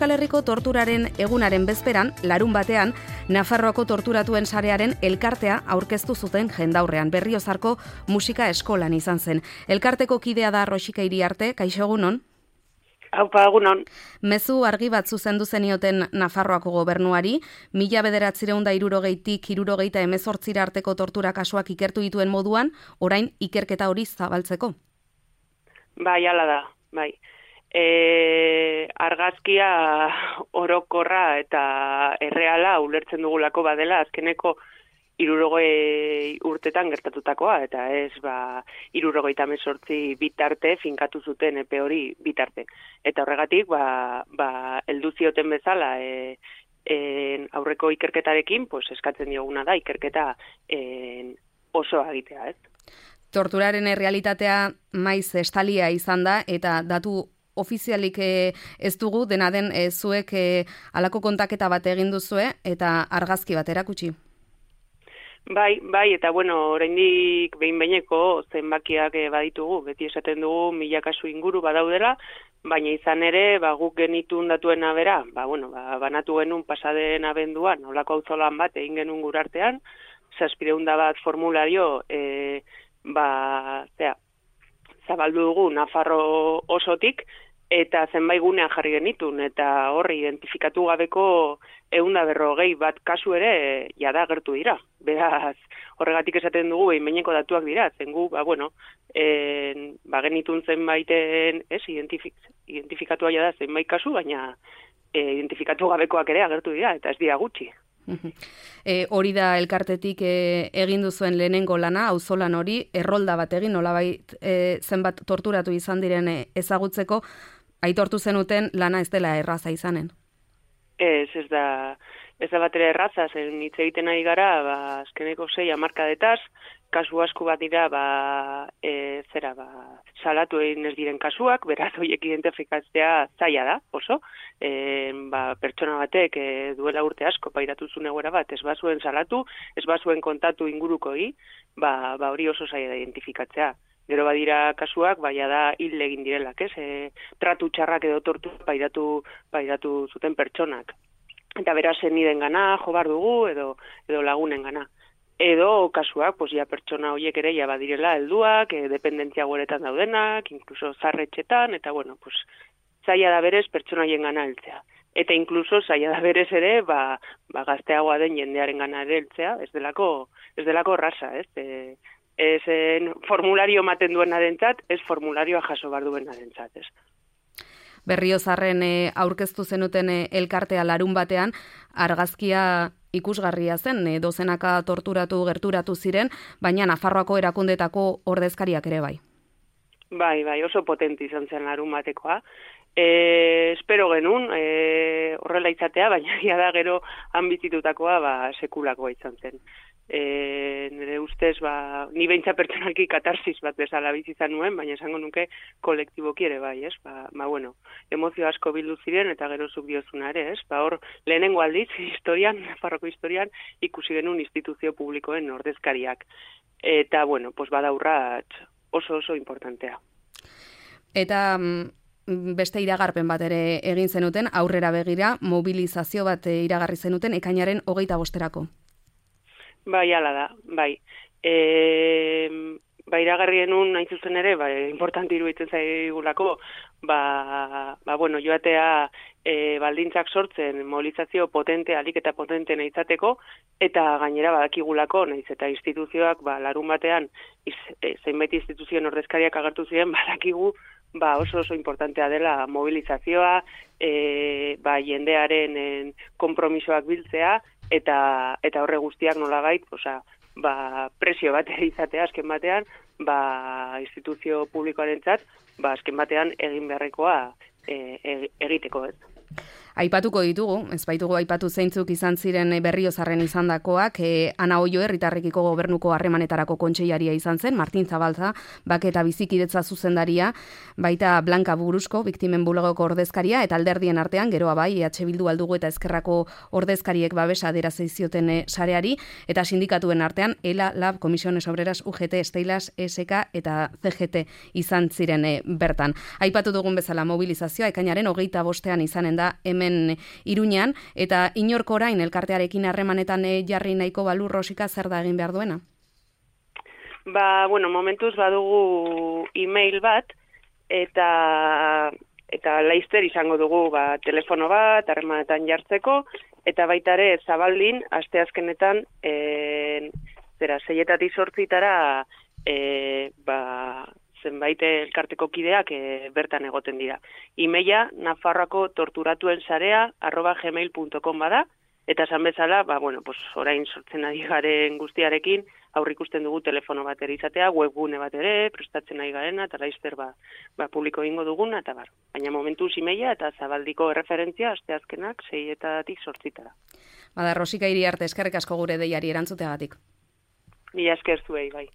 Euskal Herriko torturaren egunaren bezperan, larun batean, Nafarroako torturatuen sarearen elkartea aurkeztu zuten jendaurrean. Berriozarko musika eskolan izan zen. Elkarteko kidea da Roxika Iriarte, kaixo egunon? Aupa, egunon. Mezu argi bat zuzendu zenioten Nafarroako gobernuari, 1960tik 1978 arteko tortura kasuak ikertu dituen moduan, orain ikerketa hori zabaltzeko. Bai, hala da, bai. Argazkia orokorra eta erreala ulertzen dugulako badela azkeneko 60 urtetan gertatutakoa, eta ez 78 bitarte finkatu zuten epe hori bitarte. Eta horregatik, heldu zioten bezala aurreko ikerketarekin, eskatzen dioguna da ikerketa oso egitea, ez? Torturaren errealitatea maiz estalia izan da, eta datu ofizialik ez dugu, dena den zuek halako kontaketa bat egin duzue, eta argazki bat erakutsi. Bai, eta oraindik behin-behineko zenbakiak baditugu, beti esaten dugu 1000 kasu inguru badaudela, baina izan ere, guk genitun datuen abera, banatu genuen pasaden abenduan, nolako auzolan bat egin genuen gurartean, 700 bat formulario, zabaldu dugu Nafarro osotik, eta zenbait gunean jarri genitun, eta horri identifikatu gabeko 140 bat kasu ere jada agertu dira. Beraz, horregatik esaten dugu behin-behineko datuak dira, zen gu, genitun zenbaiten, identifikatua jada zenbait kasu, baina identifikatu gabekoak ere agertu dira, eta ez dira gutxi. Hori da elkartetik egin duzuen lehenengo lana, auzolan hori, errolda bat egin, nolabait zenbat torturatu izan diren ezagutzeko, aitortu zenuten lana ez dela erraza izanen. Ez da batera erraza, zen hitz egiten ari gara, azkeneko 6 hamarkadetaz, kasu asko bat dira, salatu egin ez diren kasuak, beraz horiek identifikatzea zaila da, oso. Pertsona batek duela urte asko pairatu zuen egoera bat, ez bazuen salatu, ez bazuen kontatu ingurukoi, hori oso zaila da identifikatzea. Gero badira kasuak, da hil egin direlak, ez? Tratu txarrak edo tortura pairatu zuten pertsonak. Eta beraz niden gana, jo bar dugu, edo lagunen gana. Edo kasuak, pertsona horiek ere badirela helduak, dependentzia goretan daudenak, inkluso zarretxetan, eta zaila da berez pertsona horien gana heltzea. Eta inkluso zaila da berez ere, gazteagoa den jendearen gana ere heltzea, ez delako raza, ez? Ez formulario ematen duena dentzat, ez formularioa jaso bar duena dentzat, ez? Berriozarren aurkeztu zenuten elkartea larun batean, argazkia ikusgarria zen, dozenaka gerturatu ziren, baina Nafarroako erakundetako ordezkariak ere bai. Bai, oso potente izan zen larun batekoa. Espero genuen horrela izatea, baina da gero han bizitutakoa sekulakoa izan zen. Nire ustez, ni beintza pertsonalki katarsis bat bezala bizi izan nuen, baina esango nuke kolektiboki ere bai, ez? Emozio asko bildu ziren eta gero zuk diozuna ere, ez? Hor, lehenengo aldiz, Nafarroko historian, ikusi genuen instituzio publikoen ordezkariak. Eta, bada urrats oso importantea. Eta beste iragarpen bat ere egin zenuten, aurrera begira, mobilizazio bat iragarri zenuten, ekainaren 25erako. Bai, ala da, bai. Iragarri genuen, hain zuzen ere, importante iruditzen zaigulako, joatea baldintzak sortzen mobilizazio potente, alik eta potente izateko, eta gainera badakigulako, nahiz eta instituzioak, larun batean, zenbait instituzioen ordezkariak agertu ziren, badakigu, oso importantea dela mobilizazioa, jendearen konpromisoak biltzea, eta horre guztiak nolabait, presio bat izatea azken batean, instituzio publikoarentzat, azken batean egin beharrekoa egiteko, ez. Aipatuko ditugu, ez baitugu aipatu zeintzuk izan ziren Berriozarren izandakoak, Ana Oio herritarrekiko gobernuko harremanetarako kontseilaria izan zen, Martin Zabalza, bake eta bizikidetza zuzendaria, baita Blanca Burusko, biktimen bulegoko ordezkaria, eta alderdien artean, geroa bai, EH Bildu Aldugu eta Ezkerrako ordezkariek babesa adierazten zioten sareari, eta sindikatuen artean, ELA, LAB, Comisiones Obreras, UGT, Steilas, ESK eta CGT izan ziren bertan. Aipatu dugun bezala mobilizazioa, ekainaren 25ean izanen da, da hemen Iruñan, eta inork orain elkartearekin harremanetan jarri nahiko balu Rosika zer da egin behar duena? Momentuz badugu email bat, eta laizter izango dugu telefono bat, harremanetan jartzeko, eta baita ere Zabaldin, asteazkenetan, 6-etatik 8-tara, zenbait elkarteko kideak bertan egoten dira. Emaila Nafarroako torturatuen sarea @gmail.com bada, eta esan bezala, orain sortzen ari garen guztiarekin, aurrikusten dugu telefono bat ere izatea, webgune bat ere, prestatzen ari garena, eta laizter publiko egingo duguna, eta baina momentuz emaila eta Zabaldiko erreferentzia asteazkenak 6-etatik 8-tara. Rosika Iriarte, eskerrik asko gure deiari erantzuteagatik. Mila esker zuei, bai.